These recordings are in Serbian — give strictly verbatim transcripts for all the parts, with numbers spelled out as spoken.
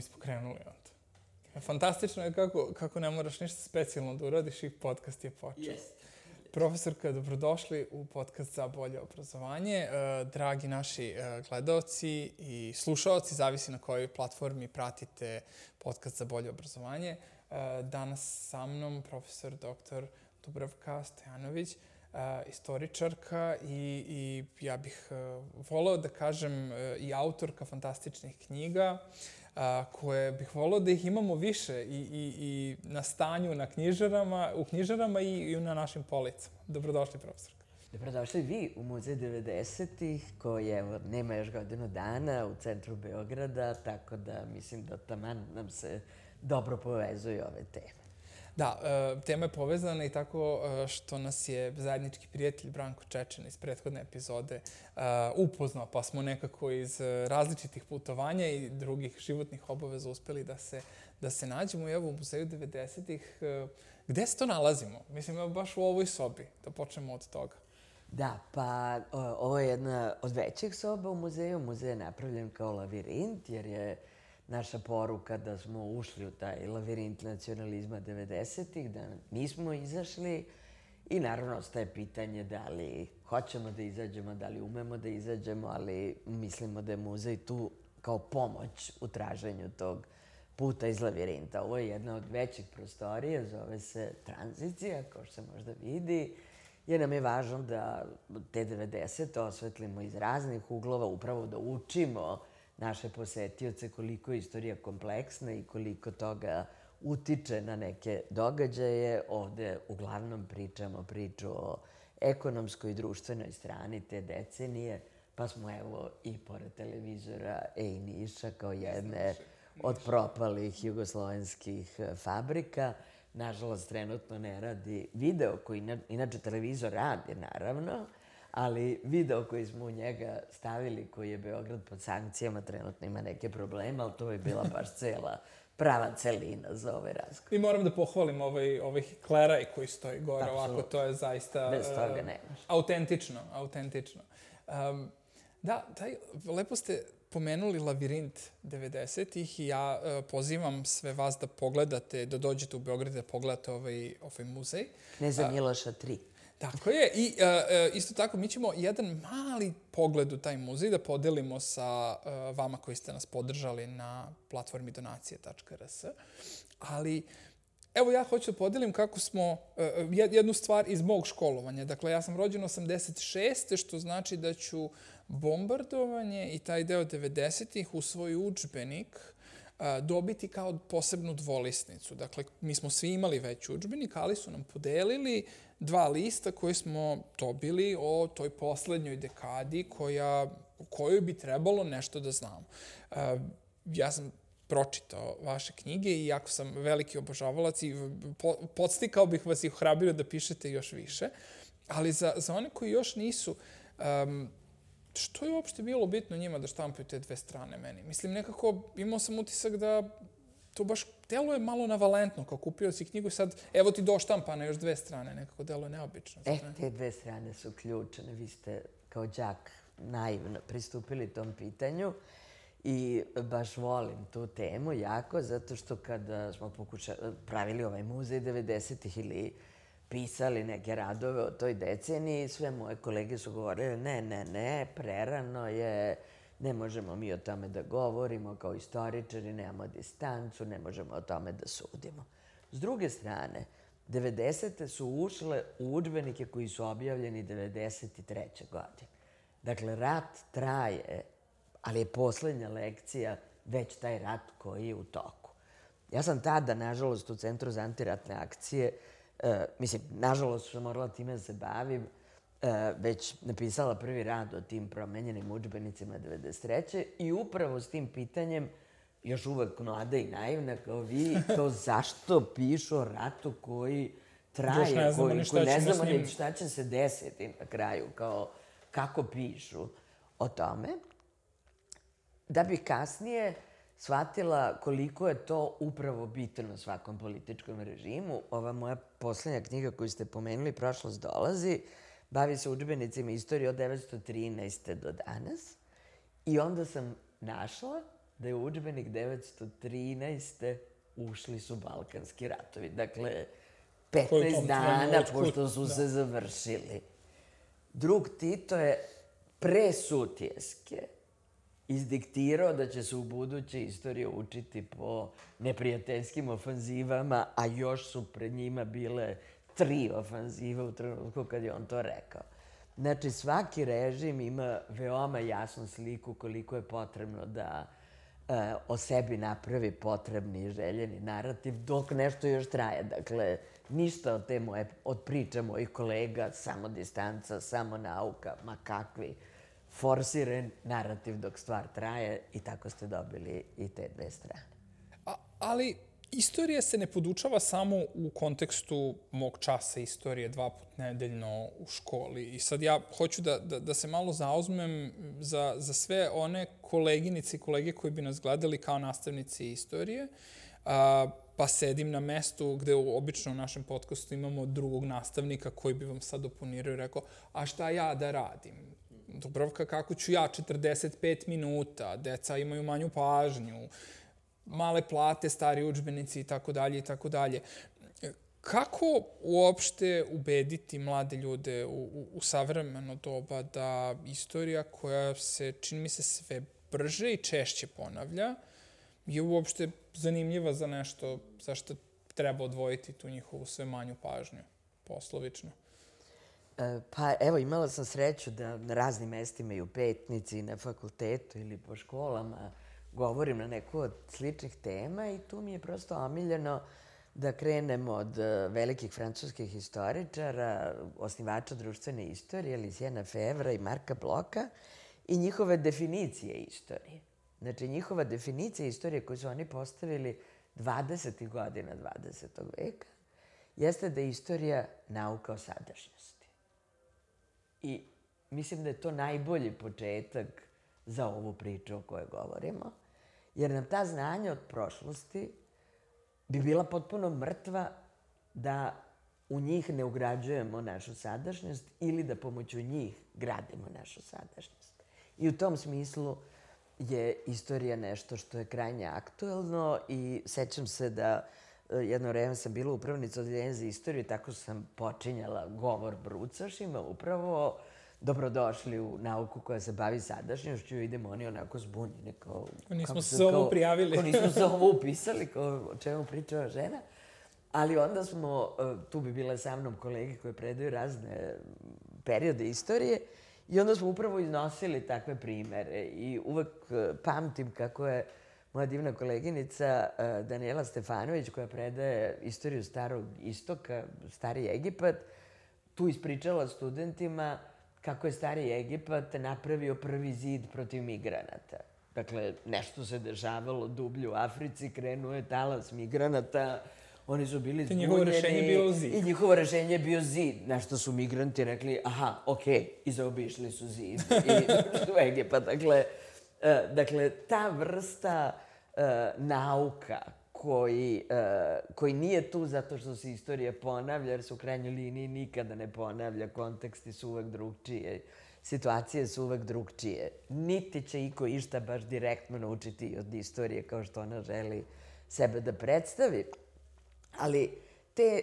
mi smo krenuli onda. Fantastično je kako, kako ne moraš ništa specijalno da uradiš i podcast je počeo. Yes. Profesorka, dobrodošli u podcast za bolje obrazovanje. Dragi naši gledaoci i slušaoci, zavisi na kojoj platformi pratite podcast za bolje obrazovanje. Danas sa mnom profesor doktor Dubravka Stojanović, istoričarka i, i ja bih voleo da kažem i autorka fantastičnih knjiga, koje bih voleo da ih imamo više i, i, i na stanju na knjižarama, u knjižarama i, i na našim policama. Dobrodošli, profesorka. Dobrodošli vi u Muzej devedesetih, koji evo, nema još godinu dana u centru Beograda, tako da mislim da taman nam se dobro povezuju ove teme. Da, tema je povezana i tako što nas je zajednički prijatelj Branko Čečen iz prethodne epizode upoznao, pa smo nekako iz različitih putovanja i drugih životnih obaveza uspeli da se, da se nađemo i evo u Muzeju devedesetih. Gde se to nalazimo? Mislim, evo baš u ovoj sobi, da počnemo od toga. Da, pa ovo je jedna od većih soba u muzeju. Muzej je napravljen kao lavirint, jer je naša poruka da smo ušli u taj lavirint nacionalizma devedesetih, da nismo izašli i naravno ostaje pitanje da li hoćemo da izađemo, da li umemo da izađemo, ali mislimo da je muzej tu kao pomoć u traženju tog puta iz lavirinta. Ovo je jedna od većih prostorija, zove se Tranzicija, kao što se možda vidi, jer nam je važno da te devedesete osvetlimo iz raznih uglova, upravo da učimo naše posetioce koliko je istorija kompleksna i koliko toga utiče na neke događaje. Ovde uglavnom pričamo priču o ekonomskoj i društvenoj strani te decenije, pa smo evo i pored televizora Ej Niša kao jedne od propalih jugoslovenskih fabrika. Nažalost, trenutno ne radi video koji, inače televizor radi naravno, ali video koji smo u njega stavili, koji je Beograd pod sankcijama, trenutno ima neke probleme, ali to je bila baš cela prava celina za ovaj razgovor. I moram da pohvalim ovaj, ovaj kleraj koji stoji gore, Absolutno. Ovako to je zaista Bez toga nemaš. autentično, autentično. Um, da, taj, lepo ste pomenuli lavirint devedesetih i ja uh, pozivam sve vas da pogledate, da dođete u Beograd da pogledate ovaj, ovaj muzej. Kneza Miloša tri. Tako je. I uh, isto tako, mi ćemo jedan mali pogled u taj muzej da podelimo sa uh, vama koji ste nas podržali na platformi donacije tačka er es. Ali, evo ja hoću da podelim kako smo, uh, jednu stvar iz mog školovanja. Dakle, ja sam rođen osamdeset šeste. što znači da ću bombardovanje i taj deo devedesetih u svoj udžbenik dobiti kao posebnu dvolisnicu. Dakle, mi smo svi imali već udžbenik, ali su nam podelili dva lista koje smo dobili o toj poslednjoj dekadi koja, o kojoj bi trebalo nešto da znamo. Ja sam pročitao vaše knjige i jako sam veliki obožavalac i podstikao bih vas i ohrabrio da pišete još više. Ali za, za one koji još nisu, um, što je uopšte bilo bitno njima da štampaju te dve strane meni? Mislim, nekako imao sam utisak da to baš deluje malo navalentno, kao kupio si knjigu i sad evo ti doštampana još dve strane, nekako deluje neobično. E, te dve strane su ključne. Vi ste kao đak naivno pristupili tom pitanju i baš volim tu temu jako, zato što kada smo pokušali, pravili ovaj muzej devedesetih ili pisali neke radove o toj deceniji, sve moje kolege su govorile ne, ne, ne, prerano je, ne možemo mi o tome da govorimo kao istoričari, nemamo distancu, ne možemo o tome da sudimo. S druge strane, devedesete su ušle u udžbenike koji su objavljeni devedeset treće godine. Dakle, rat traje, ali je poslednja lekcija već taj rat koji je u toku. Ja sam tada, nažalost, u Centru za antiratne akcije, Uh, mislim, nažalost sam morala time da se bavim, uh, već napisala prvi rad o tim promenjenim udžbenicima devedeset treće i upravo s tim pitanjem, još uvek mlada i naivna kao vi, kao zašto pišu o ratu koji traje, ne znamo koji, ni šta koji ne ćemo znamo s njim. ni šta će se desiti na kraju, kao kako pišu o tome, da bih kasnije shvatila koliko je to upravo bitno svakom političkom režimu. Ova moja poslednja knjiga koju ste pomenuli, Prošlost dolazi, bavi se udžbenicima istorije od devetsto trinaeste do danas. I onda sam našla da je u udžbenik devetsto trinaeste. ušli su Balkanski ratovi. Dakle, petnaest dana pošto su se završili. Drug Tito je pre Sutjeske izdiktirao da će se u buduće istorije učiti po neprijateljskim ofanzivama, a još su pred njima bile tri ofanzive u trenutku kad je on to rekao. Znači, svaki režim ima veoma jasnu sliku koliko je potrebno da e, o sebi napravi potrebni i željeni narativ, dok nešto još traje. Dakle, ništa od te moje, od priča mojih kolega, samo distanca, samo nauka, ma kakvi, forsiran narativ dok stvar traje i tako ste dobili i te dve strane. A, ali istorija se ne podučava samo u kontekstu mog časa istorije dva put nedeljno u školi. I sad ja hoću da, da, da se malo zauzmem za, za sve one koleginice i kolege koji bi nas gledali kao nastavnici istorije, a, pa sedim na mestu gde obično u našem podcastu imamo drugog nastavnika koji bi vam sad oponirao i rekao, a šta ja da radim? Dubrovka, kako ću ja, četrdeset pet minuta, deca imaju manju pažnju, male plate, stari udžbenici i tako dalje i tako dalje. Kako uopšte ubediti mlade ljude u, u, u savremeno doba da istorija koja se, čini mi se, sve brže i češće ponavlja, je uopšte zanimljiva za nešto za što treba odvojiti tu njihovu sve manju pažnju, poslovično? Pa evo, imala sam sreću da na raznim mestima i u Petnici i na fakultetu ili po školama govorim na neku od sličnih tema i tu mi je prosto omiljeno da krenemo od velikih francuskih historičara, osnivača društvene istorije, Luciena Febvra i Marka Bloka i njihove definicije istorije. Znači, njihova definicija istorije koju su oni postavili dvadesetih godina dvadesetog veka jeste da je istorija nauka o sadašnjosti. I mislim da je to najbolji početak za ovu priču o kojoj govorimo, jer nam ta znanja od prošlosti bi bila potpuno mrtva da u njih ne ugrađujemo našu sadašnjost ili da pomoću njih gradimo našu sadašnjost. I u tom smislu je istorija nešto što je krajnje aktuelno i sećam se da jedno vreme sam bila upravnica odeljenja za istoriju i tako sam počinjala govor brucašima, upravo dobrodošli u nauku koja se bavi sadašnjošću, idemo oni onako zbunjeni. Kao, nismo se za ovo prijavili. Kao nismo se ovo upisali, kao o čemu pričava žena. Ali onda smo, tu bi bile sa mnom kolege koje predaju razne periode istorije i onda smo upravo iznosili takve primere i uvek pamtim kako je moja divna koleginica Danijela Stefanović, koja predaje istoriju Starog Istoka, Stari Egipat, tu ispričala studentima kako je Stari Egipat napravio prvi zid protiv migranata. Dakle, nešto se dešavalo dublje u Africi, krenuo je talas migranata, oni su bili zbunjeni. I njihovo rešenje je bio zid. I njihovo rešenje je bio zid. Na što su migranti rekli, aha, okej, i zaobišli su zid i došli u Egipat. Dakle, dakle, ta vrsta uh, nauka koji, uh, koji nije tu zato što se istorija ponavlja, jer se u krajnjoj liniji nikada ne ponavlja, konteksti su uvek drugčije, situacije su uvek drugčije. Niti će iko išta baš direktno naučiti od istorije kao što ona želi sebe da predstavi. Ali te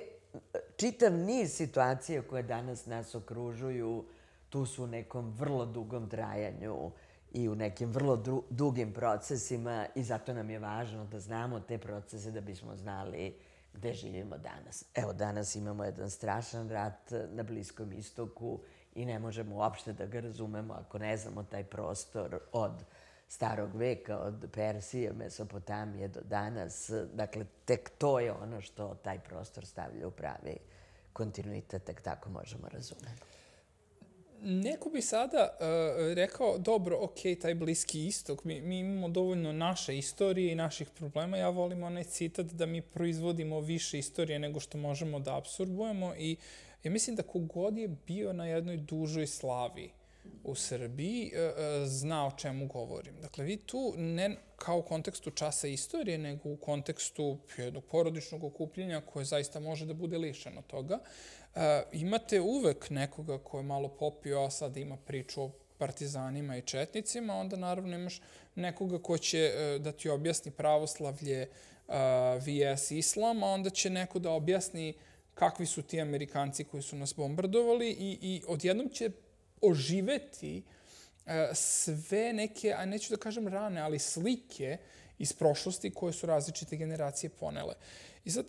čitav niz situacija koje danas nas okružuju, tu su u nekom vrlo dugom trajanju i u nekim vrlo dru- dugim procesima i zato nam je važno da znamo te procese da bismo znali gde živimo danas. Evo, danas imamo jedan strašan rat na Bliskom istoku i ne možemo uopšte da ga razumemo ako ne znamo taj prostor od starog veka, od Persije, Mesopotamije do danas. Dakle, tek to je ono što taj prostor stavlja u pravi kontinuitet, tek tako možemo razumeti. Neko bi sada uh, rekao, dobro, ok, taj Bliski istok, mi, mi imamo dovoljno naše istorije i naših problema. Ja volim onaj citat da mi proizvodimo više istorije nego što možemo da apsorbujemo i ja mislim da kogod je bio na jednoj dužoj slavi u Srbiji zna o čemu govorim. Dakle, vi tu ne kao u kontekstu časa istorije, nego u kontekstu jednog porodičnog okupljenja koje zaista može da bude lišeno toga, imate uvek nekoga ko je malo popio, a sad ima priču o partizanima i četnicima, onda naravno imaš nekoga ko će da ti objasni pravoslavlje vs islam, a onda će neko da objasni kakvi su ti Amerikanci koji su nas bombardovali i, i odjednom će oživeti sve neke, a neću da kažem rane, ali slike iz prošlosti koje su različite generacije ponele. I sad,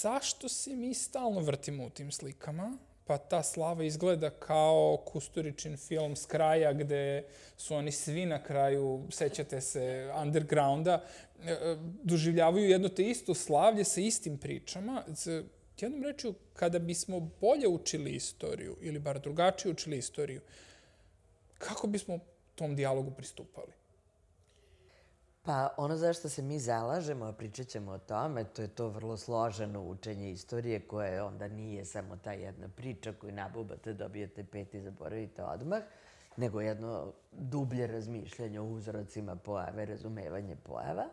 zašto se mi stalno vrtimo u tim slikama? Pa ta slava izgleda kao Kusturičin film S kraja, gde su oni svi na kraju, sećate se, undergrounda, doživljavaju jedno te isto slavlje sa istim pričama. Jednom rečju, kada bismo bolje učili istoriju, ili bar drugačije učili istoriju, kako bismo tom dijalogu pristupali? Pa ono za što se mi zalažemo, a pričat ćemo o tome, to je to vrlo složeno učenje istorije koje onda nije samo ta jedna priča koju nabubate, dobijete pet i zaboravite odmah, nego jedno dublje razmišljanje o uzrocima pojave, razumevanje pojava.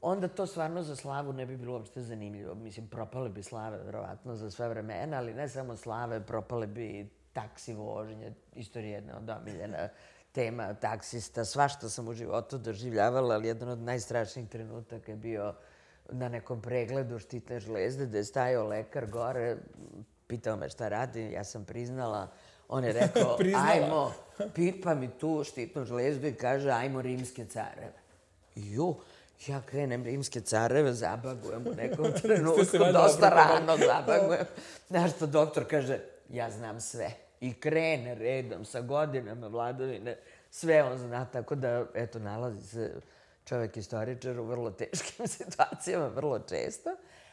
Onda to stvarno za slavu ne bi bilo uopšte zanimljivo. Mislim, propale bi slave, verovatno, za sve vremena, ali ne samo slave, propale bi taksi vožnje, istorija jedna od omiljena tema taksista, svašta sam u životu doživljavala, ali jedan od najstrašnijih trenutaka je bio na nekom pregledu štitne žlezde, gde je stajao lekar gore, pitao me šta radi, ja sam priznala, on je rekao, ajmo, pipa mi tu štitnu žlezdu i kaže, ajmo rimske careve. Ju, ja krenem rimske careve, zabagujem u nekom trenutku, dosta rano zabagujem. Znaš što doktor kaže, ja znam sve. I krene redom sa godinama vladavine, sve on zna, tako da, eto, nalazi se čovjek istoričar u vrlo teškim situacijama, vrlo često.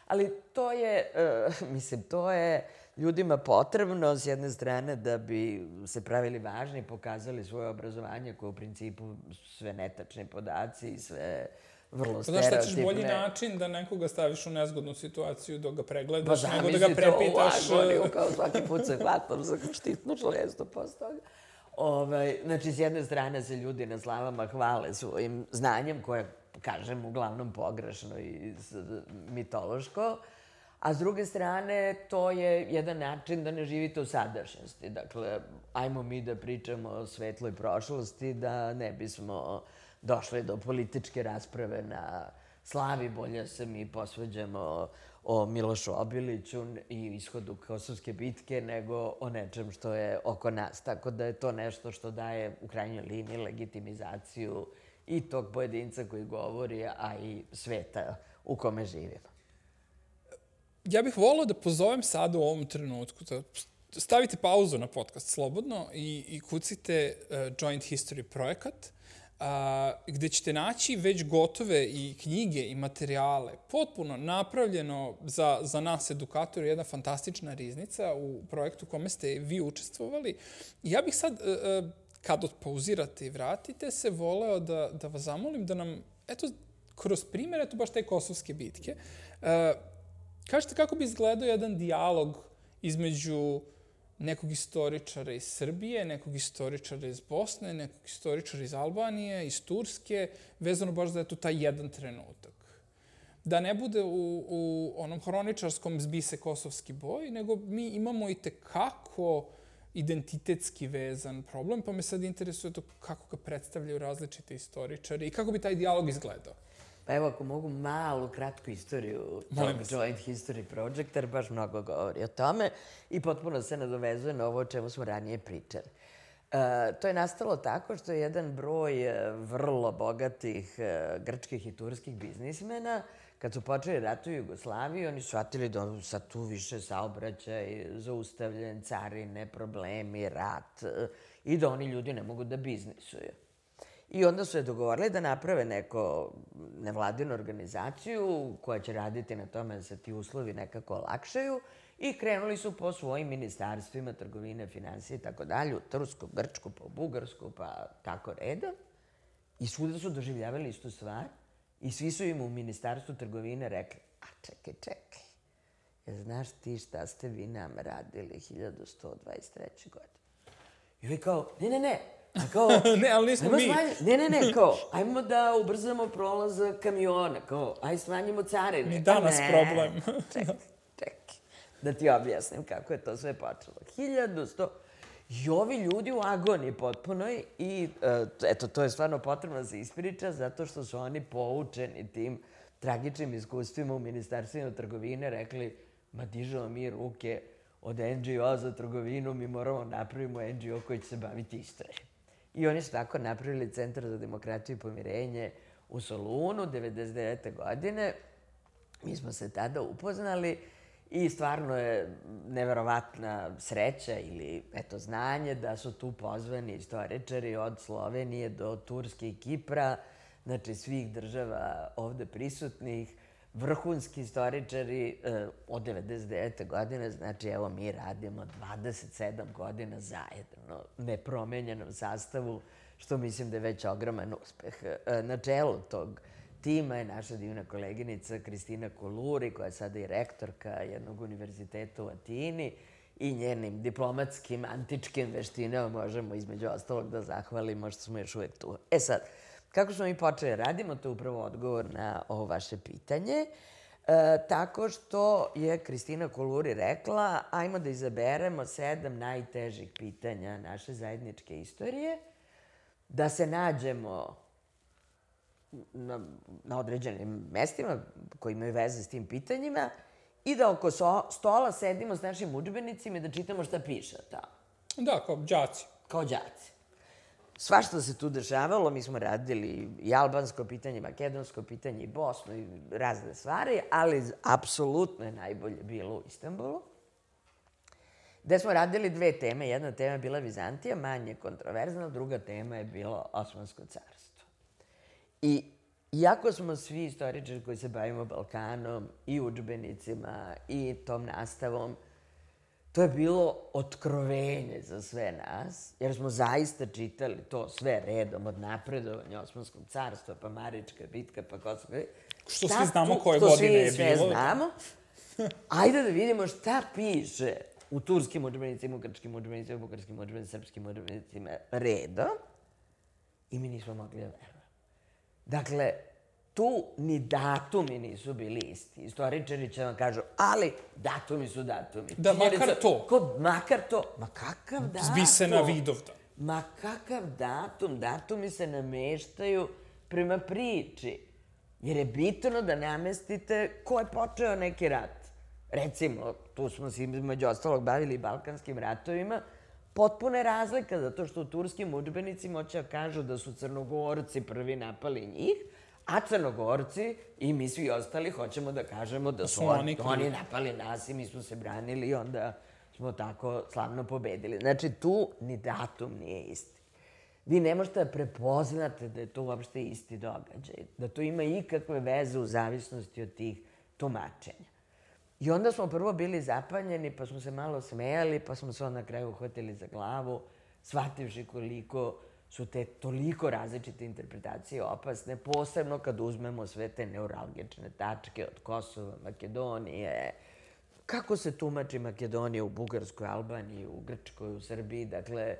Ali to je, mislim, to je ljudima potrebno s jedne strane da bi se pravili važni i pokazali svoje obrazovanje koje u principu sve netačni podaci i sve vrlo stereotipne. Znaš šta ćeš bolji način da nekoga staviš u nezgodnu situaciju dok ga pregledaš, nego da ga prepitaš. Pa zamisli to u agoniju, kao svaki put se hvatam za štitnu žlezdu posle toga. Znači, s jedne strane se ljudi na slavama hvale svojim znanjem, koje, kažem, uglavnom pogrešno i mitološko, a s druge strane, to je jedan način da ne živite u sadašnjosti. Dakle, ajmo mi da pričamo o svetloj prošlosti, da ne bismo došli do političke rasprave na slavi, bolje se mi posveđamo o Milošu Obiliću i ishodu Kosovske bitke, nego o nečem što je oko nas. Tako da je to nešto što daje u krajnjoj liniji legitimizaciju i tog pojedinca koji govori, a i sveta u kome živimo. Ja bih volao da pozovem sad u ovom trenutku, da stavite pauzu na podcast slobodno i, i kucite uh, Joint History projekat, Uh, gde ćete naći već gotove i knjige i materijale, potpuno napravljeno za, za nas edukatori, jedna fantastična riznica u projektu u kome ste vi učestvovali. Ja bih sad, uh, kad odpauzirate i vratite se, voleo da, da vas zamolim da nam, eto, kroz primjer, eto baš te Kosovske bitke, uh, kažete kako bi izgledao jedan dijalog između nekog istoričara iz Srbije, nekog istoričara iz Bosne, nekog istoričara iz Albanije, iz Turske, vezano baš za eto taj jedan trenutak. Da ne bude u, u onom hroničarskom zbi se kosovski boj, nego mi imamo i tekako identitetski vezan problem, pa me sad interesuje to kako ga predstavljaju različite istoričari i kako bi taj dijalog izgledao. Pa evo, ako mogu malu, kratku istoriju tog Joint History Projecta, jer baš mnogo govori o tome i potpuno se nadovezuje na ovo o čemu smo ranije pričali. Uh, to je nastalo tako što je jedan broj uh, vrlo bogatih uh, grčkih i turskih biznismena, kad su počeli rat u Jugoslaviji, oni su shvatili da sad tu više saobraćaj, zaustavljen, carine, problemi, rat uh, i da oni ljudi ne mogu da biznisuju. I onda su je dogovorili da naprave neko nevladinu organizaciju koja će raditi na tome da se ti uslovi nekako olakšaju i krenuli su po svojim ministarstvima, trgovine, financije i tako dalje, u Tursku, Grčku, pa u Bugarsku, pa tako redom. I svuda su doživljavali istu stvar i svi su im u ministarstvu trgovine rekli, a čekaj, čekaj, jer znaš ti šta ste vi nam radili hiljadu sto dvadeset treće. godine? I vi kao, ne, ne, ne, A kao, ne, ali nismo mi. Ne, ne, ne, kao, ajmo da ubrzamo prolaz kamiona, kao, aj smanjimo carine. Mi danas ne, problem. Čekaj, čekaj, da ti objasnim kako je to sve počelo. hiljadu sto I ovi ljudi u agoniji potpunoj i eto, to je stvarno potrebno da se ispriča zato što su oni poučeni tim tragičnim iskustvima u Ministarstvima trgovine rekli ma dižemo mi ruke od en dži o za trgovinu, mi moramo napravimo en dži o koji će se baviti istorijom. I oni su tako napravili Centar za demokratiju i pomirenje u Solunu devedeset devete. godine. Mi smo se tada upoznali i stvarno je neverovatna sreća ili eto znanje da su tu pozvani istoričari od Slovenije do Turske i Kipra, znači svih država ovde prisutnih, vrhunski istoričari od devedeset devete. godine, znači evo mi radimo dvadeset sedam godina zajedno, nepromenjenom sastavu, što mislim da je već ogroman uspeh. Na čelu tog tima je naša divna koleginica Kristina Koluri, koja je sada i rektorka jednog univerziteta u Atini i njenim diplomatskim, antičkim veštinama možemo između ostalog da zahvalimo što smo još uvek tu. E sad, kako smo mi počeli radimo, to je upravo odgovor na ovo vaše pitanje, e, tako što je Kristina Koluri rekla ajmo da izaberemo sedam najtežih pitanja naše zajedničke istorije, da se nađemo na, na određenim mestima koji imaju veze s tim pitanjima i da oko so, stola sedimo s našim udžbenicima i da čitamo šta piše tamo. Da, kao đaci. Kao đaci. Svašta se tu dešavalo, mi smo radili i albansko pitanje, makedonsko pitanje, i Bosnu i razne stvari, ali apsolutno je najbolje bilo u Istanbulu, gde smo radili dve teme. Jedna tema je bila Vizantija, manje kontroverzna, druga tema je bilo Osmansko carstvo. I iako smo svi istoričari koji se bavimo Balkanom i udžbenicima i tom nastavom, to je bilo otkrovenje za sve nas, jer smo zaista čitali to sve redom, od napredovanja Osmanskog carstva, pa Marička bitka, pa Kosovska. Što svi znamo koje godine je bilo. Što svi sve znamo. Ajde da vidimo šta piše u turskim udžbenicima, u grčkim udžbenicima, u bugarskim udžbenicima, srpskim udžbenicima redom. I mi nismo mogli da verujemo. Dakle, tu ni datumi nisu bili isti. Istoričari će vam kažu, ali datumi su datumi. Da, makar to. Kod, makar to. Ma kakav datum? Zbi se na Vidovdan. Ma kakav datum? Datumi se nameštaju prema priči. Jer je bitno da namestite ko je počeo neki rat. Recimo, tu smo se između ostalog bavili balkanskim ratovima, potpuna je razlika, zato što u turskim udžbenicima hoće da kažu da su Crnogorci prvi napali njih, a Crnogorci i mi svi ostali hoćemo da kažemo da su oni, oni napali nas i mi smo se branili i onda smo tako slavno pobedili. Znači, tu ni datum nije isti. Vi ne možete da prepoznate da je to uopšte isti događaj, da to ima ikakve veze u zavisnosti od tih tumačenja. I onda smo prvo bili zapanjeni, pa smo se malo smejali, pa smo se onda na kraju uhvatili za glavu, shvativši koliko su te toliko različite interpretacije opasne, posebno kad uzmemo sve te neuralgične tačke od Kosova, Makedonije, kako se tumači Makedonija u Bugarskoj, Albaniji, u Grčkoj, u Srbiji. Dakle,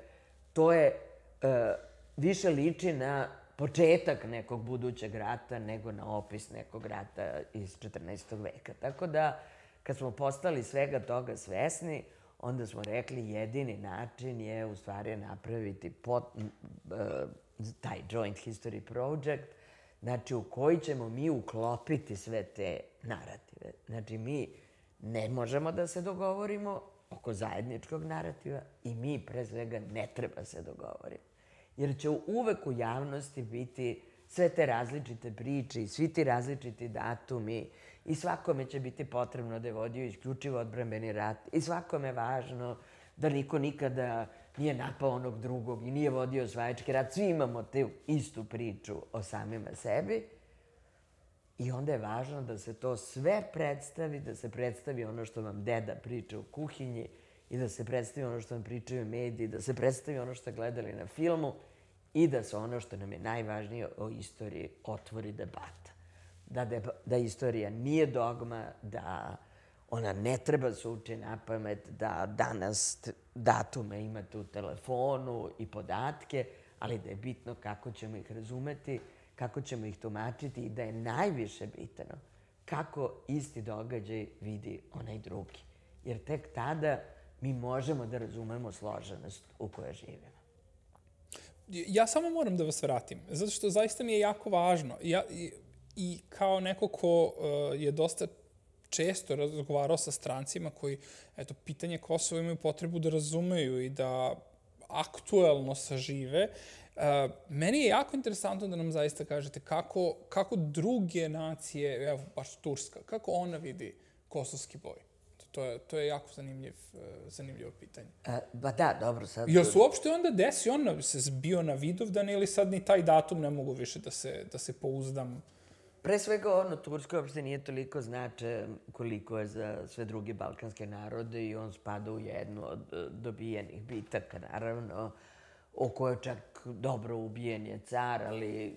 to je e, više liči na početak nekog budućeg rata nego na opis nekog rata iz četrnaestog veka. Tako da, kad smo postali svega toga svesni, onda smo rekli jedini način je u stvari napraviti pot, uh, taj Joint History Project, znači u koji ćemo mi uklopiti sve te narative. Znači mi ne možemo da se dogovorimo oko zajedničkog narativa i mi pre svega ne treba se dogovorimo. Jer će uvek u javnosti biti sve te različite priče i svi ti različiti datumi i svakome će biti potrebno da je vodio isključivo odbrambeni rat i svakome je važno da niko nikada nije napao onog drugog i nije vodio osvajački rat. Svi imamo tu istu priču o samima sebi i onda je važno da se to sve predstavi, da se predstavi ono što vam deda priča u kuhinji i da se predstavi ono što vam pričaju mediji, da se predstavi ono što ste gledali na filmu i da se ono što nam je najvažnije o istoriji otvori debata. Da, de, da istorija nije dogma, da ona ne treba se uči na pamet, da danas datume imate u telefonu i podatke, ali da je bitno kako ćemo ih razumeti, kako ćemo ih tumačiti i da je najviše bitno kako isti događaj vidi onaj drugi. Jer tek tada mi možemo da razumemo složenost u kojoj živimo. Ja samo moram da vas vratim, zato što zaista mi je jako važno. Ja, i, i kao neko ko uh, je dosta često razgovarao sa strancima koji, eto, pitanje Kosova imaju potrebu da razumeju i da aktuelno sažive, uh, meni je jako interesantno da nam zaista kažete kako, kako druge nacije, evo, baš Turska, kako ona vidi kosovski boj. To je, to je jako zanimljiv, uh, zanimljivo pitanje. E, ba da, dobro, sad... Jel su uopšte onda desi, on se zbio na Vidovdan ili sad ni taj datum ne mogu više da se, da se pouzdam? Pre svega, ono, Turska uopšte nije toliko značajan koliko je za sve druge balkanske narode i on spada u jednu od dobijenih bitaka, naravno, o kojoj čak dobro ubijen je car, ali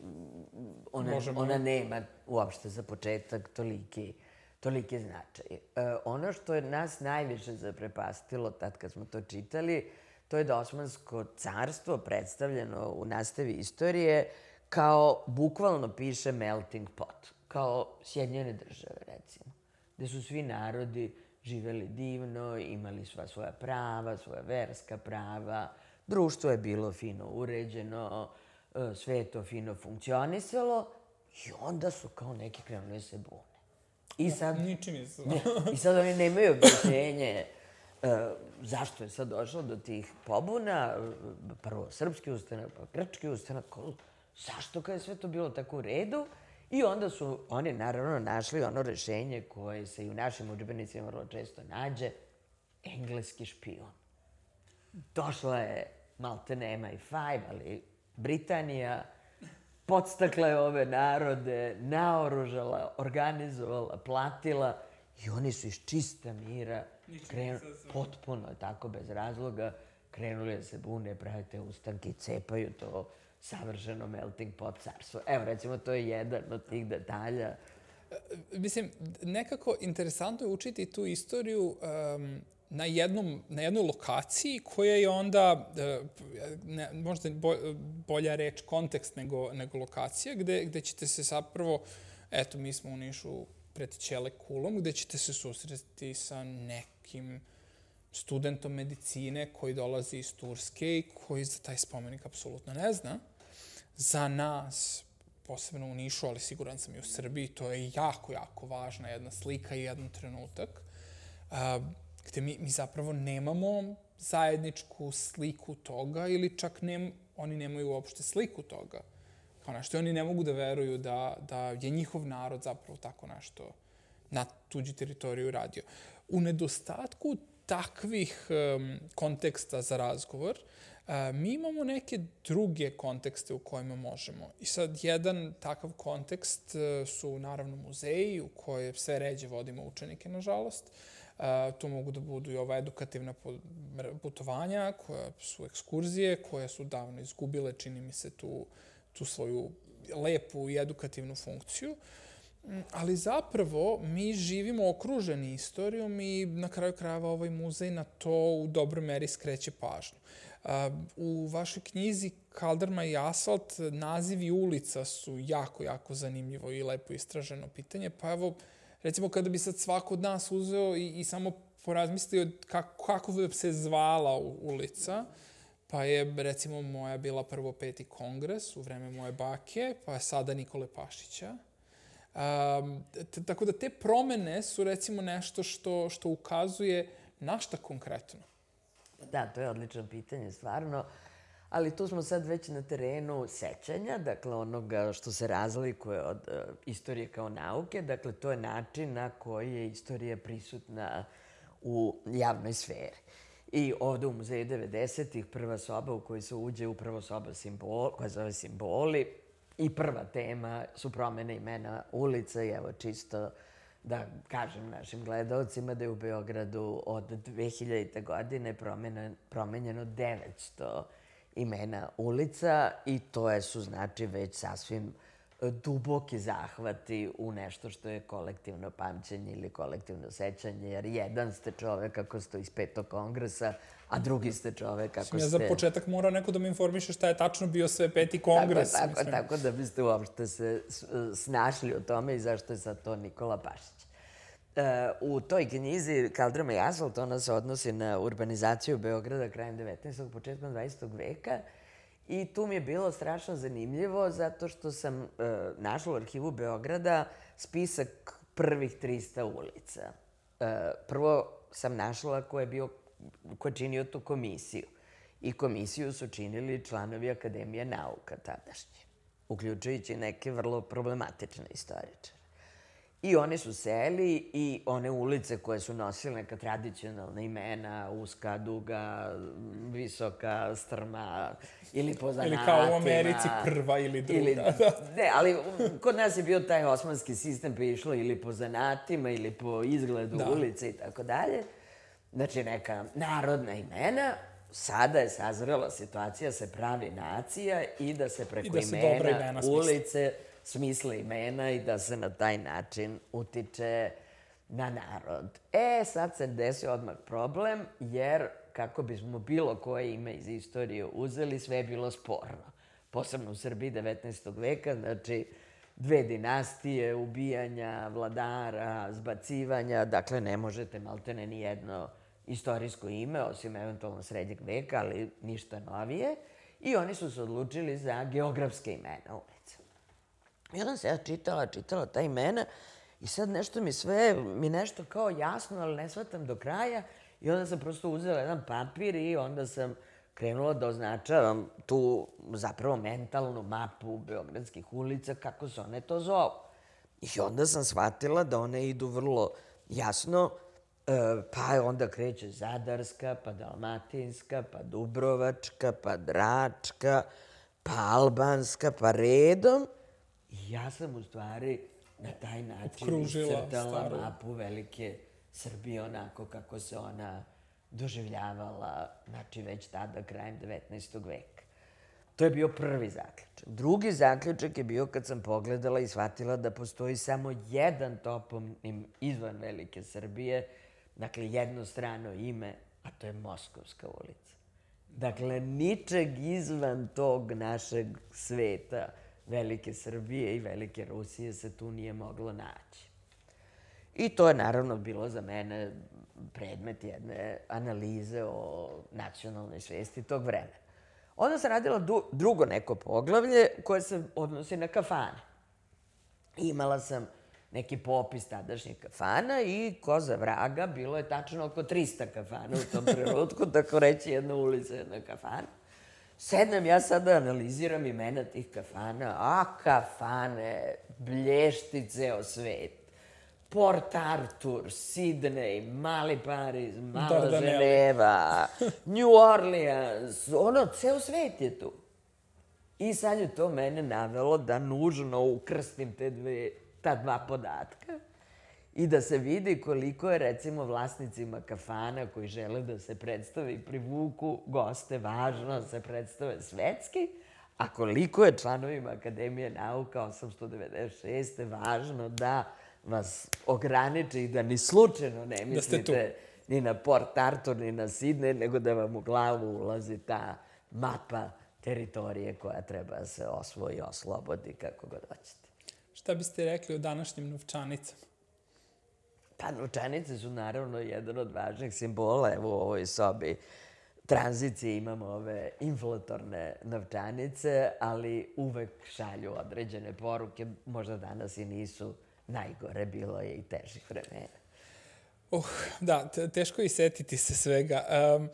ona, ona nema uopšte za početak toliki, toliki značaj. E, ono što je nas najviše zaprepastilo tad kad smo to čitali, to je da Osmansko carstvo predstavljeno u nastavi istorije kao, bukvalno piše, melting pot, kao Sjedinjene države, recimo, gde su svi narodi živeli divno, imali sva svoja prava, svoja verska prava, društvo je bilo fino uređeno, sve je to fino funkcionisalo i onda su kao neki krenuli se bune. I sad, ničim je se. Ne, i sad oni nemaju objašnjenje uh, zašto je sad došlo do tih pobuna, prvo srpski ustanak, pa grčki ustanak, zašto kad je sve to bilo tako u redu? I onda su oni naravno našli ono rešenje koje se i u našim udžbenicima vrlo često nađe, engleski špijun. Došla je maltene em i pet, ali Britanija podstakla je ove narode, naoružala, organizovala, platila i oni su iz čista mira krenuli, potpuno tako bez razloga, krenuli da se bune, prave te ustanke i cepaju to savršeno melting pot carstvo. Evo, recimo, to je jedan od tih detalja. Mislim, nekako interesantno je učiti tu istoriju um, na, jednom, na jednoj lokaciji koja je onda, ne, možda bolja reč kontekst nego, nego lokacija, gde, gde ćete se zapravo, eto, mi smo u Nišu pred Ćele kulom, gde ćete se susresti sa nekim studentom medicine koji dolazi iz Turske i koji za taj spomenik apsolutno ne zna. Za nas, posebno u Nišu, ali siguran sam i u Srbiji, to je jako, jako važna jedna slika i jedan trenutak gde mi, mi zapravo nemamo zajedničku sliku toga ili čak ne, oni nemaju uopšte sliku toga. Kao nešto, oni ne mogu da veruju da, da je njihov narod zapravo tako nešto na tuđi teritoriju radio. U nedostatku takvih um, konteksta za razgovor, uh, mi imamo neke druge kontekste u kojima možemo. I sad, jedan takav kontekst uh, su naravno muzeji u koje sve ređe vodimo učenike, nažalost. Uh, to mogu da budu i ova edukativna putovanja, koja su ekskurzije, koje su davno izgubile, čini mi se, tu, tu svoju lepu i edukativnu funkciju. Ali zapravo mi živimo okruženi istorijom i na kraju krajeva ovaj muzej na to u dobroj meri skreće pažnju. U vašoj knjizi Kaldrma i asfalt nazivi ulica su jako, jako zanimljivo i lepo istraženo pitanje. Pa evo, recimo kada bi sad svako od nas uzeo i, i samo porazmislio kako, kako bi se zvala ulica, pa je recimo moja bila prvo Peti kongres u vreme moje bake, pa je sada Nikole Pašića. Um, tako da te promene su recimo nešto što, što ukazuje na šta konkretno. Da, to je odlično pitanje, stvarno. Ali tu smo sad već na terenu sećanja, dakle onoga što se razlikuje od uh, istorije kao nauke. Dakle, to je način na koji je istorija prisutna u javnoj sferi. I ovde u Muzeju devedesetih prva soba u kojoj se uđe upravo soba simbol, koja zove Simboli. I prva tema su promene imena ulica i evo čisto da kažem našim gledalcima da je u Beogradu od dve hiljadite. godine promenjeno devetsto imena ulica i to je, su znači već sasvim duboki zahvati u nešto što je kolektivno pamćenje ili kolektivno sećanje, jer jedan ste čovek ako ste iz Petog kongresa, a drugi ste čovek ako ste... Ja za početak mora neko da me informiše šta je tačno bio sve Peti kongres. Tako, tako, tako da biste uopšte se snašli o tome i zašto je sad to Nikola Pašić. u toj knjizi Kaldrma i asfalt, ona se odnosi na urbanizaciju Beograda krajem devetnaestog. početkom dvadesetog veka. I tu mi je bilo strašno zanimljivo zato što sam uh, našla u arhivu Beograda spisak prvih trista ulica. Uh, prvo sam našla ko je bio, ko je činio tu komisiju. I komisiju su činili članovi Akademije nauka tadašnje, uključujući neke vrlo problematične istoričare. I oni su seli i one ulice koje su nosile neka tradicionalna imena, uska, duga, visoka, strma ili po zanatima. Ili kao u Americi prva ili druga. Ili, ne, ali kod nas je bio taj osmanski sistem pa je išlo ili po zanatima ili po izgledu da. ulice i tako dalje. Znači neka narodna imena. Sada je sazrela situacija, se pravi nacija i da se preko da se imena, imena ulice smisle imena i da se na taj način utiče na narod. E, sad se desio odmah problem, jer kako bismo bilo koje ime iz istorije uzeli, sve je bilo sporno. Posebno u Srbiji devetnaestog veka, znači dve dinastije, ubijanja, vladara, zbacivanja, dakle ne možete maltene ni jedno istorijsko ime, osim eventualno srednjeg veka, ali ništa novije. I oni su se odlučili za geografske imena ulica. I onda se ja čitala, čitala ta imena i sad nešto mi sve, mi nešto kao jasno, ali ne shvatam do kraja. I onda sam prosto uzela jedan papir i onda sam krenula da označavam tu zapravo mentalnu mapu beogradskih ulica, kako se one to zovu. I onda sam shvatila da one idu vrlo jasno, pa onda kreće Zadarska, pa Dalmatinska, pa Dubrovačka, pa Dračka, pa Albanska, pa redom. I ja sam u stvari na taj način iscrtala mapu velike Srbije onako kako se ona doživljavala, znači već tada, krajem devetnaestog veka. To je bio prvi zaključak. Drugi zaključak je bio kad sam pogledala i shvatila da postoji samo jedan toponim izvan velike Srbije, dakle jednostrano ime, a to je Moskovska ulica. Dakle, ničeg izvan tog našeg sveta velike Srbije i velike Rusije se tu nije moglo naći. I to je naravno bilo za mene predmet jedne analize o nacionalnoj svesti tog vremena. Onda sam radila drugo neko poglavlje koje se odnosi na kafane. Imala sam neki popis tadašnjih kafana i ko za vraga, bilo je tačno oko trista kafana u tom trenutku, tako reći jedna ulica, jedna kafana. Sednem ja sada analiziram imena tih kafana, a kafane blješti ceo svet. Port Arthur, Sidney, Mali Pariz, Mala Ženeva, New Orleans, ono, ceo svet je tu. I sad je to mene navelo da nužno ukrstim te dve, ta dva podatka i da se vidi koliko je, recimo, vlasnicima kafana koji žele da se predstave i privuku goste važno da se predstave svetski, a koliko je članovima Akademije nauka osamsto devedeset šeste važno da vas ograniče i da ni slučajno ne mislite ni na Port Arthur, ni na Sidney, nego da vam u glavu ulazi ta mapa teritorije koja treba da se osvoji, oslobodi, kako god hoćete. Šta biste rekli o današnjim novčanicama? Pa novčanice su naravno jedan od važnih simbola. Evo u ovoj sobi tranzicije imamo ove inflatorne novčanice, ali uvek šalju određene poruke. Možda danas i nisu najgore, bilo je i težih vremena. Uh, da, teško je setiti se svega. Um,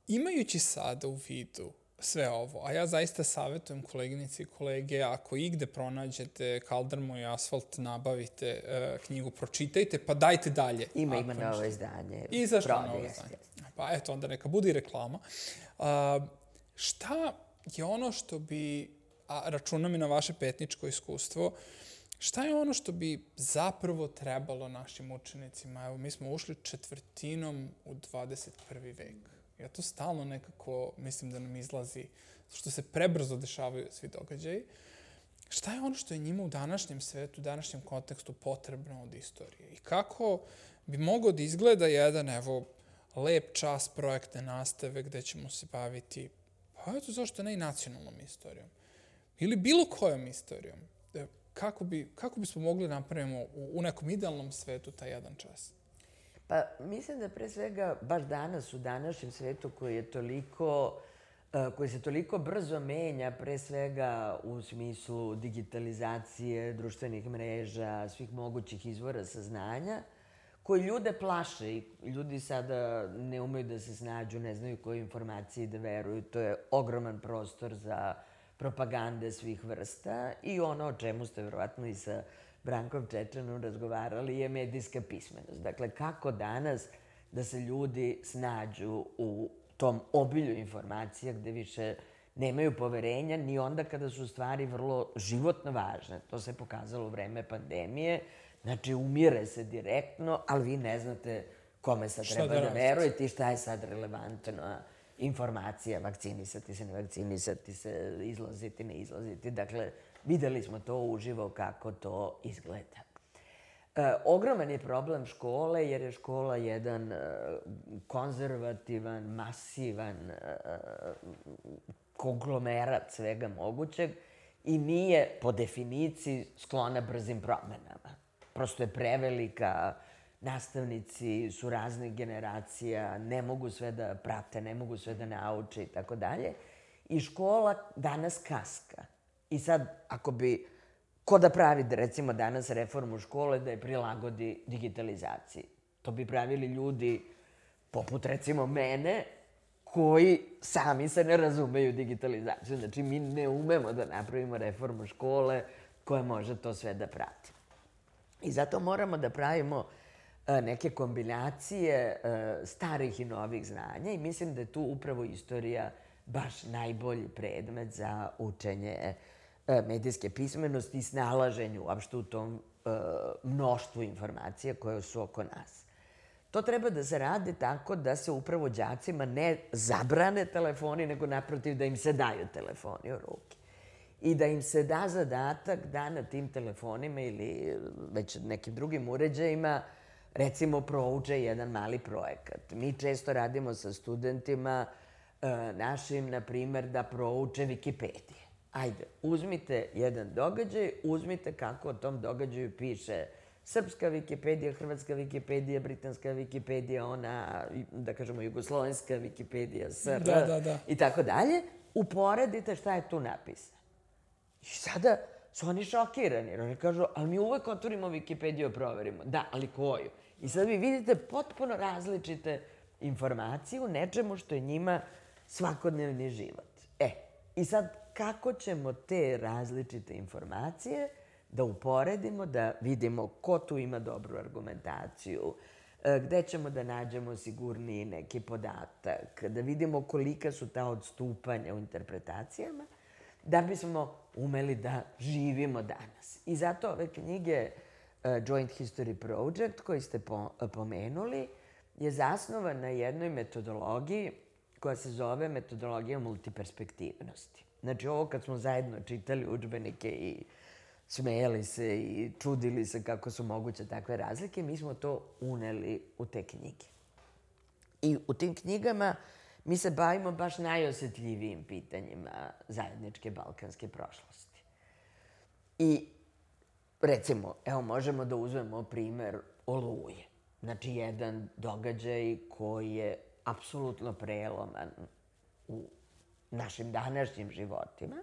imajući sada u vidu sve ovo, a ja zaista savjetujem koleginici i kolege, ako igde pronađete Kaldrmu i asfalt, nabavite uh, knjigu, pročitajte, pa dajte dalje. Ima, ima novo izdanje. I zašto novo izdanje? Pa eto, onda neka bude i reklama. Uh, šta je ono što bi, a računam i na vaše petničko iskustvo, šta je ono što bi zapravo trebalo našim učenicima? Evo, mi smo ušli četvrtinom u dvadeset prvi vek. Ja to stalno nekako mislim da nam izlazi, što se prebrzo dešavaju svi događaji. Šta je ono što je njima u današnjem svetu, u današnjem kontekstu potrebno od istorije? I kako bi mogao da izgleda jedan, evo, lep čas projektne nastave gde ćemo se baviti, pa eto zašto ne i nacionalnom istorijom? Ili bilo kojom istorijom. kako, bi, kako bismo mogli napravimo u, u nekom idealnom svetu taj jedan čas? Pa mislim da pre svega baš danas u današnjem svetu koji je toliko, koji se toliko brzo menja, pre svega u smislu digitalizacije, društvenih mreža, svih mogućih izvora saznanja, koji ljude plaše i ljudi sada ne umeju da se snađu, ne znaju koje informacije da veruju. To je ogroman prostor za propagande svih vrsta i ono o čemu ste verovatno i sa Brankom Čečanom razgovarali je medijska pismenost. Dakle, kako danas da se ljudi snađu u tom obilju informacija gde više nemaju poverenja ni onda kada su stvari vrlo životno važne. To se pokazalo u vreme pandemije. Znači, umire se direktno, ali vi ne znate kome sad treba da verujete i šta je sad relevantna informacija, vakcinisati se, ne vakcinisati se, izlaziti, ne izlaziti. Dakle, videli smo to uživo kako to izgleda. E, ogroman je problem škole, jer je škola jedan e, konzervativan, masivan e, konglomerat svega mogućeg i nije po definiciji sklona brzim promenama. Prosto je prevelika, nastavnici su raznih generacija, ne mogu sve da prate, ne mogu sve da nauče i tako dalje. I škola danas kaska. I sad, ako bi, ko da pravi, recimo, danas reformu škole da je prilagodi digitalizaciji? To bi pravili ljudi, poput, recimo, mene, koji sami se ne razumeju digitalizaciju. Znači, mi ne umemo da napravimo reformu škole koja može to sve da prati. I zato moramo da pravimo neke kombinacije starih i novih znanja i mislim da je tu upravo istorija baš najbolji predmet za učenje medijske pismenosti i snalaženju uopšte u tom mnoštvu informacija koje su oko nas. To treba da se radi tako da se upravo đacima ne zabrane telefoni, nego naprotiv da im se daju telefoni u ruke. I da im se da zadatak da na tim telefonima ili već nekim drugim uređajima recimo prouče jedan mali projekat. Mi često radimo sa studentima našim, na primer, da prouče Wikipedije. Ajde, uzmite jedan događaj, uzmite kako o tom događaju piše srpska Wikipedija, hrvatska Wikipedija, britanska Wikipedija, ona, da kažemo, jugoslovenska Wikipedija, S R, da, da, da. i tako dalje. Uporedite šta je tu napisano. I sada su oni šokirani, jer oni kažu, ali mi uvek otvorimo Wikipediju, proverimo. Da, ali koju? I sad vi vidite potpuno različite informacije u nečemu što je njima svakodnevni život. E, i sad kako ćemo te različite informacije da uporedimo, da vidimo ko tu ima dobru argumentaciju, gde ćemo da nađemo sigurniji neki podatak, da vidimo kolika su ta odstupanja u interpretacijama, da bismo umeli da živimo danas. I zato ove knjige Joint History Project, koji ste pomenuli, je zasnovan na jednoj metodologiji koja se zove metodologija multiperspektivnosti. Znači, ovo kad smo zajedno čitali udžbenike i smejali se i čudili se kako su moguće takve razlike, mi smo to uneli u te knjige. I u tim knjigama mi se bavimo baš najosetljivijim pitanjima zajedničke balkanske prošlosti. I, recimo, evo, možemo da uzmemo primer Oluje. Znači, jedan događaj koji je apsolutno preloman u našim današnjim životima.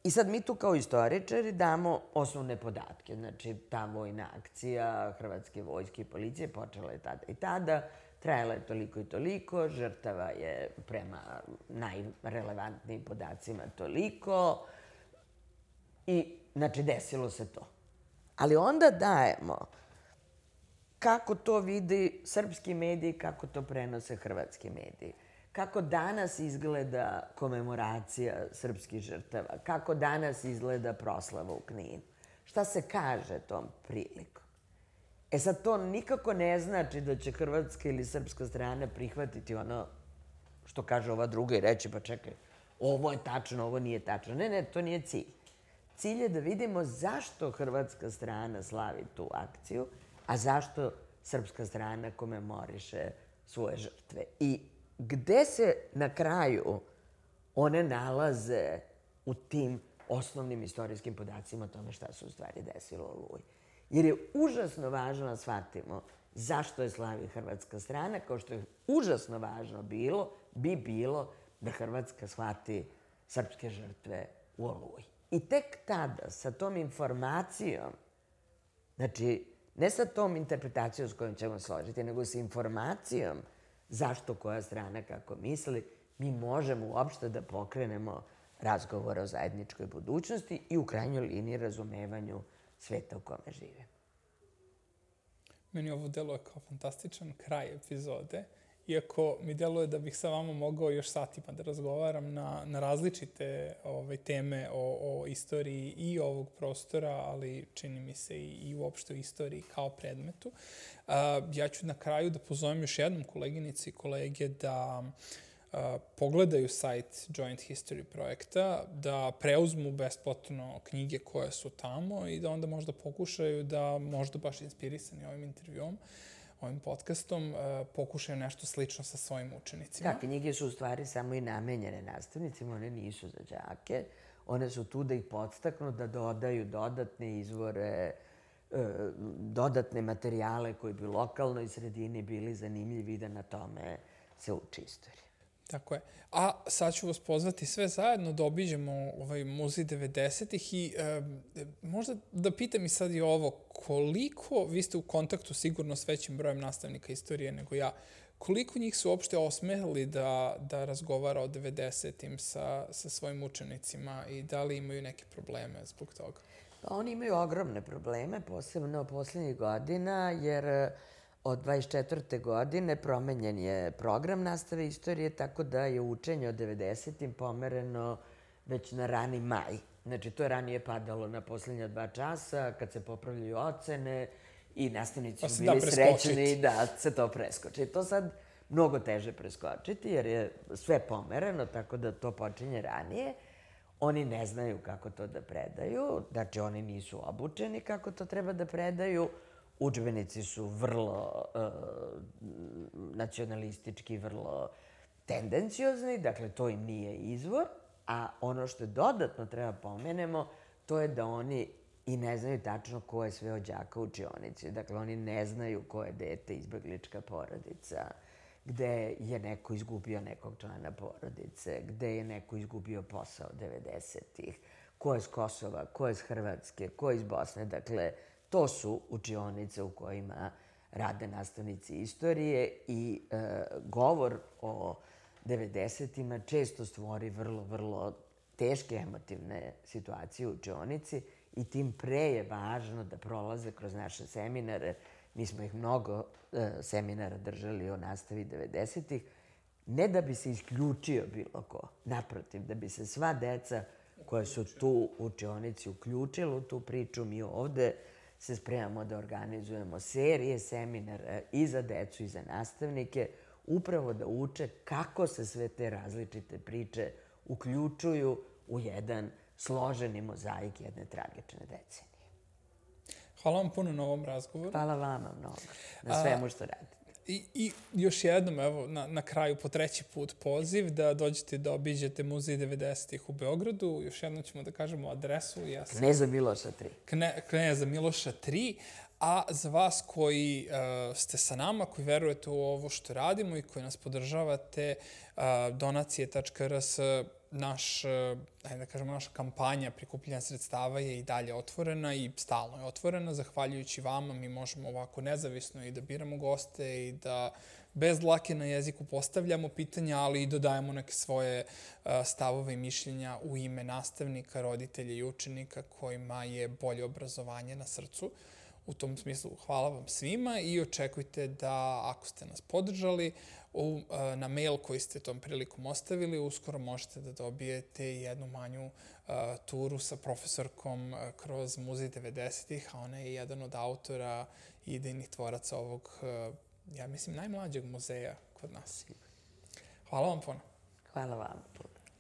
I sad mi tu kao istoričari damo osnovne podatke. Znači, ta vojna akcija Hrvatske vojske i policije počela je tada i tada, trajala je toliko i toliko, žrtava je prema najrelevantnijim podacima toliko i, znači, desilo se to. Ali onda dajemo kako to vidi srpski mediji, kako to prenose hrvatski mediji. Kako danas izgleda komemoracija srpskih žrtava, kako danas izgleda proslava u Kninu. Šta se kaže tom prilikom? E sad, to nikako ne znači da će hrvatska ili srpska strana prihvatiti ono što kaže ova druga i reći, pa čekaj, ovo je tačno, ovo nije tačno. Ne, ne, to nije cilj. Cilj je da vidimo zašto hrvatska strana slavi tu akciju, a zašto srpska strana komemoriše svoje žrtve. I gde se na kraju one nalaze u tim osnovnim istorijskim podacima o tome šta se u stvari desilo u Oluji. Jer je užasno važno da shvatimo zašto je slavi hrvatska strana, kao što je užasno važno bilo, bi bilo da Hrvatska shvati srpske žrtve u Oluji. I tek tada, sa tom informacijom, znači, ne sa tom interpretacijom s kojom ćemo složiti, nego sa informacijom zašto koja strana kako misli, mi možemo uopšte da pokrenemo razgovor o zajedničkoj budućnosti i u krajnjoj liniji razumevanju sveta u kome žive. Meni ovo deluje kao fantastičan kraj epizode, iako mi deluje da bih sa vama mogao još satima da razgovaram na, na različite ove, teme o, o istoriji i ovog prostora, ali čini mi se i, i uopšte o istoriji kao predmetu. A, ja ću na kraju da pozovem još jednom koleginici i kolege da Uh, pogledaju sajt Joint History projekta, da preuzmu besplatno knjige koje su tamo i da onda možda pokušaju da, možda baš inspirisani ovim intervjuom, ovim podcastom, uh, pokušaju nešto slično sa svojim učenicima. Da, knjige su u stvari samo i namenjene nastavnicima, one nisu za đake. One su tu da ih podstaknu, da dodaju dodatne izvore, dodatne materijale koji bi u lokalnoj sredini bili zanimljivi da na tome se uči istorija. Tako je. A sad ću vas pozvati sve zajedno da obiđemo ovaj muzej devedesetih i e, možda da pitam i sad i ovo, koliko, vi ste u kontaktu sigurno s većim brojem nastavnika istorije nego ja, koliko njih su uopšte osmeli da, da razgovara o devedesetim sa, sa svojim učenicima i da li imaju neke probleme zbog toga? Pa oni imaju ogromne probleme, posebno poslednjih godina, jer od dvadeset četvrte godine promenjen je program nastave istorije, tako da je učenje o devedesetim pomereno već na rani maj. Znači, to je ranije padalo na poslednja dva časa, kad se popravljaju ocene i nastavnici su bili srećni da se to preskoči. To sad mnogo teže preskočiti, jer je sve pomereno, tako da to počinje ranije. Oni ne znaju kako to da predaju, znači oni nisu obučeni kako to treba da predaju. Udžbenici su vrlo uh, nacionalistički, vrlo tendenciozni, dakle to im nije izvor, a ono što dodatno treba pomenemo, to je da oni i ne znaju tačno ko je sve od đaka u učionici. Dakle, oni ne znaju ko je dete izbeglička porodica, gde je neko izgubio nekog člana porodice, gde je neko izgubio posao devedesetih, ko je s Kosova, ko je s Hrvatske, ko je iz Bosne, dakle, to su učionice u kojima rade nastavnici istorije i e, govor o devedesetima često stvori vrlo, vrlo teške emotivne situacije u učionici i tim pre je važno da prolaze kroz naše seminare. Mi smo ih mnogo e, seminara držali o nastavi devedesetih, ne da bi se isključio bilo ko, naprotiv, da bi se sva deca koja su tu u učionici uključila u tu priču. Mi ovde se spremamo da organizujemo serije seminara i za decu i za nastavnike, upravo da uče kako se sve te različite priče uključuju u jedan složeni mozaik jedne tragične decenije. Hvala vam puno na ovom razgovoru. Hvala vama mnogo na svemu što radite. I, I još jednom, evo, na, na kraju po treći put poziv da dođete da obiđete muzej devedesetih u Beogradu. Još jednom ćemo da kažemo adresu. Ja sam Kneza Miloša tri. Kne, Kneza Miloša tri. A za vas koji uh, ste sa nama, koji verujete u ovo što radimo i koji nas podržavate, uh, donacije tačka r s, naš, ajde da kažemo, naša kampanja prikupljanja sredstava je i dalje otvorena i stalno je otvorena. Zahvaljujući vama mi možemo ovako nezavisno i da biramo goste i da bez dlake na jeziku postavljamo pitanja, ali i dodajemo neke svoje uh, stavove i mišljenja u ime nastavnika, roditelja i učenika kojima je bolje obrazovanje na srcu. U tom smislu hvala vam svima i očekujte da ako ste nas podržali u, na mail koji ste tom prilikom ostavili, uskoro možete da dobijete jednu manju uh, turu sa profesorkom uh, kroz muzej devedesetih, a ona je jedan od autora i idejnih tvoraca ovog, uh, ja mislim, najmlađeg muzeja kod nas. Hvala vam puno. Hvala vam puno.